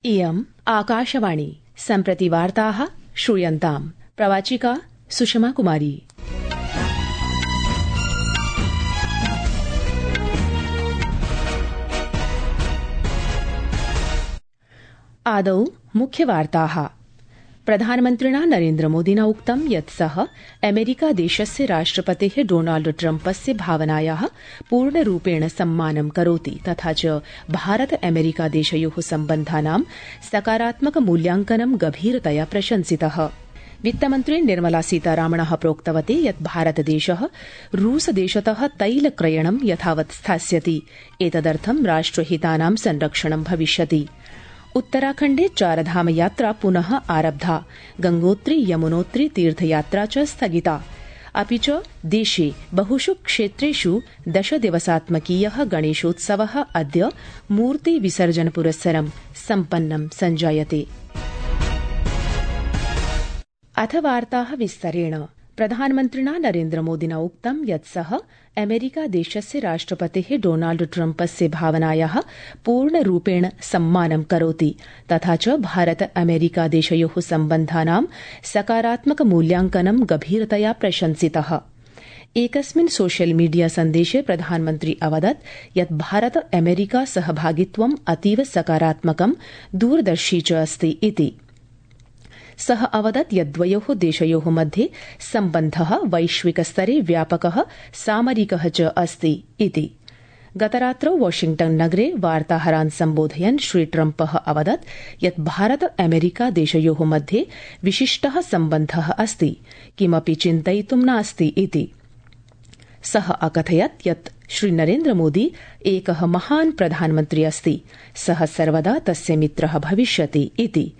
इयम् आकाशवाणी सम्प्रति वार्ताः श्रूयन्ताम् प्रवाचिका सुषमा कुमारी। आदौ मुख्यवार्ताः। प्रधानमन्त्रिणा नरेन्द्रमोदिना उक्तं यत् सः अमेरिकादेशस्य राष्ट्रपतेः डोनाल्ड ट्रम्पस्य भावनायाः पूर्णरूपेण सम्मानं करोति तथा च भारत अमेरिकादेशयोः सम्बन्धानां सकारात्मक मूल्यांकनं गभीरतया प्रशंसितः। वित्तमन्त्री निर्मला सीतारामणः प्रोक्तवती यत् भारतदेशः रूसदेशतः तैलक्रयणं यथावत् स्थास्यति। एतदर्थं राष्ट्रहितानां संरक्षणं भविष्यति। उत्तराखण्डे चारधाम यात्रा पुनः आरब्धा। गंगोत्री यमुनोत्री तीर्थयात्रा च स्थगिता। अपि च देशे बहुषु क्षेत्रेषु 10 दिवसात्मकीयः गणेशोत्सवः अद्य मूर्ति विसर्जन पुरस्सरं सम्पन्नं सञ्जायते। अथ वार्ताः विस्तरेण। प्रधानमन्त्रिणा नरेन्द्रमोदिना उक्तं यत् सः अमेरिकादेशस्य राष्ट्रपतेः डोनाल्ड ट्रम्पस्य भावनायाः पूर्णरूपेण सम्मानं करोति तथा च भारत अमेरिकादेशयोः सम्बन्धानां सकारात्मक मूल्यांकनं गभीरतया प्रशंसितः। एकस्मिन् सोशल मीडिया सन्देशे प्रधानमन्त्री अवदत् यत् भारत अमेरिका सहभागित्वम् अतीव सकारात्मकं दूरदर्शी च अस्ति इति। सः अवदत् यत् द्वयोः देशयोः मध्ये सम्बन्धः वैश्विकस्तरे व्यापकः सामरिकः च अस्ति इति। गतरात्रौ वाशिंग्टन नगरे वार्ताहरान् सम्बोधयन् श्री ट्रम्पः अवदत् यत् भारत अमेरिका देशयोः मध्ये विशिष्टः सम्बन्धः अस्ति, किमपि चिन्तयितुं नास्ति इति। सः अकथयत् यत् श्री नरेन्द्रमोदी एकः महान् प्रधानमन्त्री अस्ति, सः सर्वदा तस्य मित्रः भविष्यति इति।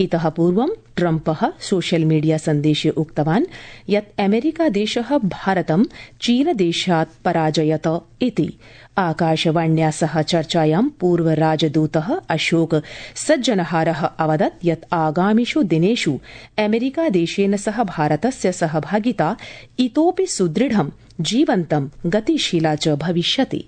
इतः पूर्वं ट्रम्पः सोशल मीडिया सन्देशे उक्तवान् यत् अमेरिकादेशः भारतं चीनदेशात् पराजयत इति। आकाशवाण्या सह चर्चायां पूर्वराजदूतः अशोक सज्जनहारः अवदत् यत् आगामिषु दिनेषु अमेरिकादेशेन सह भारतस्य सहभागिता इतोपि सुदृढं, जीवन्तं, गतिशीला च भविष्यति।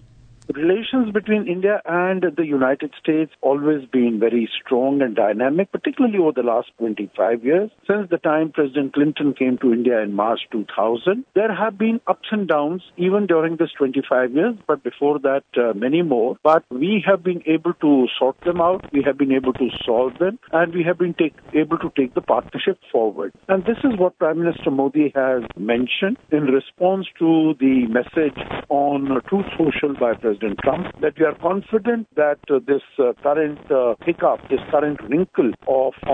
Relations between India and the United States always been very strong and dynamic, particularly over the last 25 years. Since the time President Clinton came to India in March 2000, there have been ups and downs even during this 25 years, but before that many more. But we have been able to sort them out, we have been able to solve them, and we have been able to take the partnership forward. And this is what Prime Minister Modi has mentioned in response to the message on Truth Social by President Trump, that we are confident that this current hiccup, this current wrinkle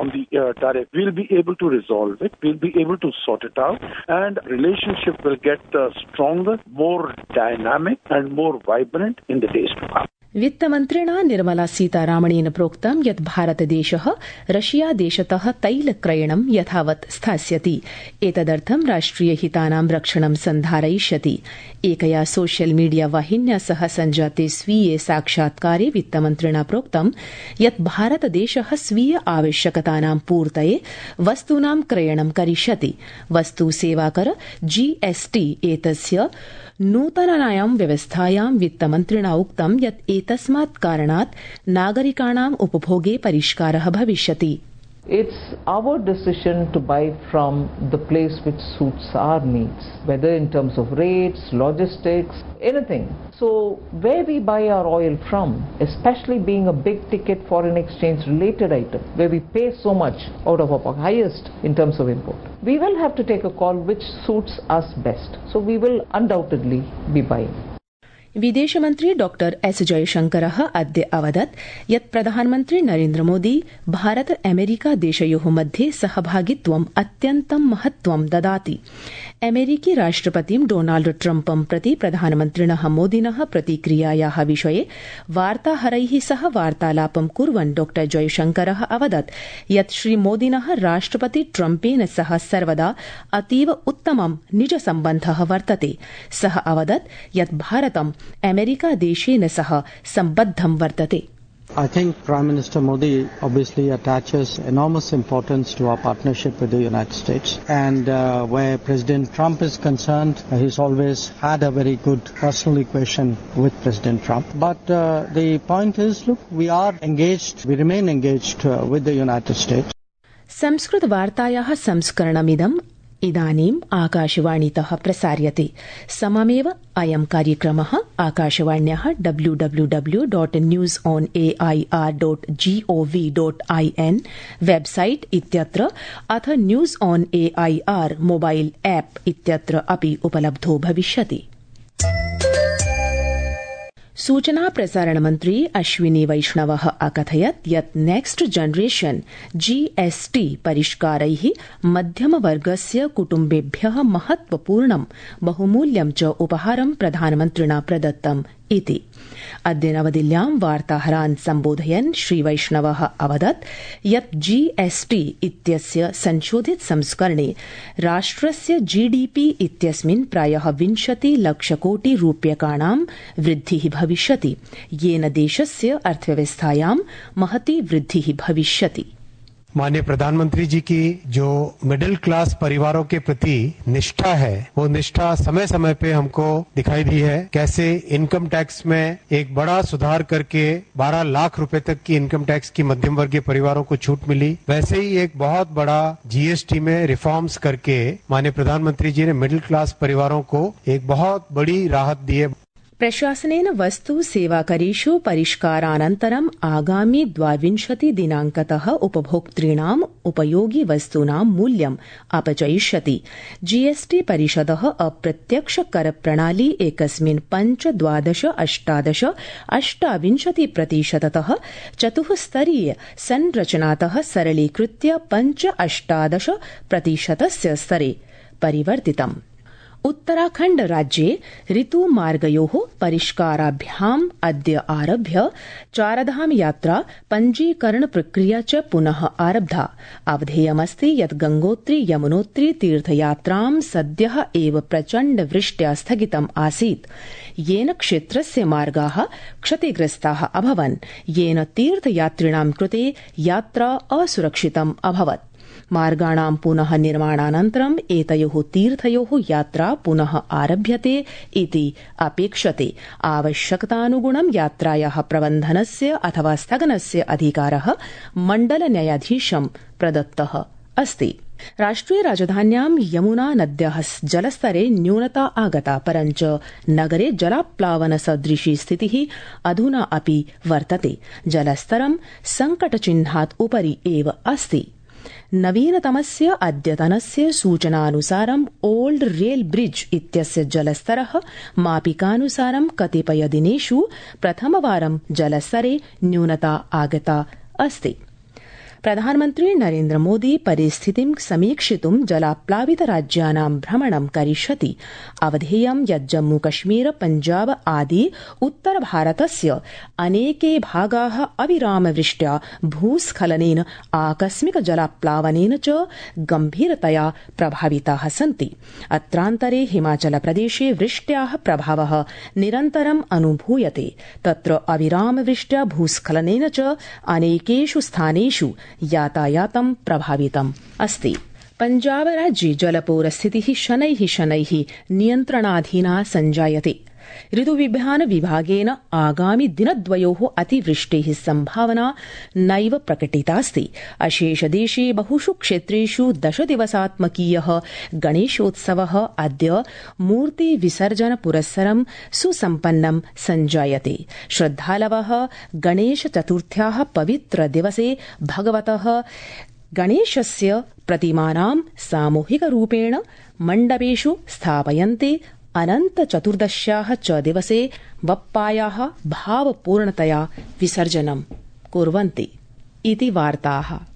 on the tariff, we'll be able to resolve it, we'll be able to sort it out, and relationship will get stronger, more dynamic and more vibrant in the days to come. वित्तमन्त्रिणा Nirmala सीतारामणेन प्रोक्तं यत् भारतदेशः रशियादेशतः तैलक्रयणं यथावत् स्थास्यति। एतदर्थं राष्ट्रियहितानां रक्षणं सन्धारयिष्यति। एकया social media वाहिन्या सह सञ्जाते स्वीये साक्षात्कारे वित्तमन्त्रिणा प्रोक्तं यत् भारतदेशः स्वीय आवश्यकतानां पूर्तये वस्तूनां क्रयणं करिष्यति। वस्तु सेवाकर GST एतस्य नूतनायां व्यवस्थायां वित्तमन्त्रिणा उक्तं यत् एतस्मात् कारणात् नागरिकाणाम् उपभोगे परिष्कारः भविष्यति। It's our decision to buy from the place which suits our needs, whether in terms of rates, logistics, anything. So where we buy our oil from, especially being a big ticket foreign exchange related item, where we pay so much out of our highest in terms of import, we will have to take a call which suits us best. So we will undoubtedly be buying. विदेशमन्त्री डॉ S जयशंकरः अद्य अवदत् यत् प्रधानमन्त्री Narendra Modi Bharata America देशयोः मध्ये सहभागित्वम् अत्यन्तं महत्त्वं ददाति। अमेरिकी राष्ट्रपतिं डोनाल्ड ट्रम्पं प्रति प्रधानमन्त्रिणः मोदिनः प्रतिक्रियायाः विषये वार्ताहरैः सह वार्तालापं कुर्वन् डॉ जयशंकरः अवदत् यत् श्रीमोदिनः राष्ट्रपति ट्रम्पेन सह सर्वदा अतीव उत्तमं निजसम्बन्धः वर्तते। सः अवदत् यत् भारतं अमेरिकादेशेन सह सम्बद्धं वर्तते। I think Prime Minister Modi obviously attaches enormous importance to our partnership with the United States. And where President Trump is concerned, he's always had a very good personal equation with President Trump. But the point is, look, we are engaged, we remain engaged with the United States. संस्कृतवार्तायाः संस्करणमिदम् इदानीम् आकाशवाणीतः प्रसार्यते। सममेव अयं कार्यक्रमः आकाशवाण्याः www.newsonair.gov.in website इत्यत्र अथ news on AIR mobile app इत्यत्र अपि उपलब्धो भविष्यति। सूचना प्रसारण मंत्री अश्विनी वैष्णवः अकथयत् यत् नेक्स्ट जनरेशन जीएसटी परिष्कारैः मध्यमवर्गस्य कुटुम्बेभ्यः महत्वपूर्णं बहुमूल्यं च उपहारं प्रधानमन्त्रिणा प्रदत्तम् इति। अद्य नवदिल्ल्यां वार्ताहरान् सम्बोधयन् श्रीवैष्णवः अवदत् यत् जीएसटी इत्यस्य संशोधित संस्करणे राष्ट्रस्य जीडीपी इत्यस्मिन् प्रायः 20 लक्षकोटि रूप्यकाणां वृद्धिः भविष्यति, येन देशस्य अर्थव्यवस्थायां महती वृद्धिः भविष्यति। माननीय प्रधानमंत्री जी की जो मिडिल क्लास परिवारों के प्रति निष्ठा है, वो निष्ठा समय समय पे हमको दिखाई दी है। कैसे इनकम टैक्स में एक बड़ा सुधार करके 12 लाख रुपए तक की इनकम टैक्स की मध्यम वर्गीय परिवारों को छूट मिली, वैसे ही एक बहुत बड़ा जीएसटी में रिफॉर्म्स करके माननीय प्रधानमंत्री जी ने मिडिल क्लास परिवारों को एक बहुत बड़ी राहत दी है। प्रशासनेन वस्तु सेवाकरेषु परिष्कारानन्तरम् आगामि 22 दिनांकतः उपभोक्तॄणाम् उपयोगि वस्तूनां मूल्यम् अपचयिष्यति। जीएसटी परिषदः अप्रत्यक्ष कर प्रणाली एकस्मिन् 5, 12, 18, 28% चतुःस्तरीय संरचनातः सरलीकृत्य 5, 18% स्तरे परिवर्तितम्। उत्तराखण्ड राज्ये ऋतुमार्गयोः परिष्काराभ्याम् अद्य आरभ्य चारधाम यात्रा पञ्जीकरण प्रक्रिया च पुनः आरब्धा। अवधेयमस्ति यत् गंगोत्री यमुनोत्री तीर्थयात्रां सद्यः एव प्रचण्ड वृष्ट्या स्थगितम् आसीत्, येन क्षेत्रस्य मार्गाः क्षतिग्रस्ताः अभवन्, येन तीर्थयात्रिणां कृते यात्रा असुरक्षितम् अभवत्। मार्गाणां पुनः निर्माणानन्तरम् एतयोः तीर्थयोः यात्रा पुनः आरभ्यते इति अपेक्षते। आवश्यकतानुगुणं यात्रायाः प्रबन्धनस्य अथवा स्थगनस्य अधिकारः मण्डल न्यायाधीशं प्रदत्तः अस्ति। राष्ट्रिय राजधान्यां यमुना नद्याः जलस्तरे न्यूनता आगता, परञ्च नगरे जलाप्लावन सदृशी स्थितिः अधुना अपि वर्तते। जलस्तरं संकटचिह्नात् उपरि एव अस्ति। नवीनतमस्य अद्यतनस्य सूचनानुसारम् ओल्ड रेल ब्रिज इत्यस्य जलस्तरः मापिकानुसारं कतिपयदिनेषु प्रथमवारं जलस्तरे न्यूनता आगता अस्ति। प्रधानमन्त्री नरेन्द्र मोदी परिस्थितिं समीक्षितुं जलाप्लावित राज्यानां भ्रमणं करिष्यति। अवधेयं यत् जम्मू कश्मीर पञ्जाब आदि उत्तर भारतस्य अनेके भागाः अविरामवृष्ट्या भूस्खलनेन आकस्मिक जलाप्लावनेन च गम्भीरतया प्रभाविताः सन्ति। अत्रान्तरे हिमाचल प्रदेशे वृष्ट्याः प्रभावः निरन्तरम् अनुभूयते। तत्र अविरामवृष्ट्या भूस्खलनेन च अनेकेषु स्थानेषु यातायातं प्रभावितम् अस्ति। पञ्जाब राज्ये जलपूरस्थितिः शनैः नियन्त्रणाधीना सञ्जायते। ऋतुविज्ञान विभागेन आगामि दिनद्वयोः अतिवृष्टेः सम्भावना नैव प्रकटितास्ति। अशेषदेशे बहुषु क्षेत्रेषु 10 दिवसात्मकीयः गणेशोत्सवः अद्य मूर्ति विसर्जन पुरस्सरं सुसम्पन्नं सञ्जायते। श्रद्धालवः गणेश चतुर्थ्याः पवित्र दिवसे भगवतः गणेशस्य प्रतिमानां सामूहिकरूपेण मण्डपेषु स्थापयन्ते। अनन्त चतुर्दश्याः च दिवसे बप्पायाः भावपूर्णतया विसर्जनं कुर्वन्ति इति वार्ताः।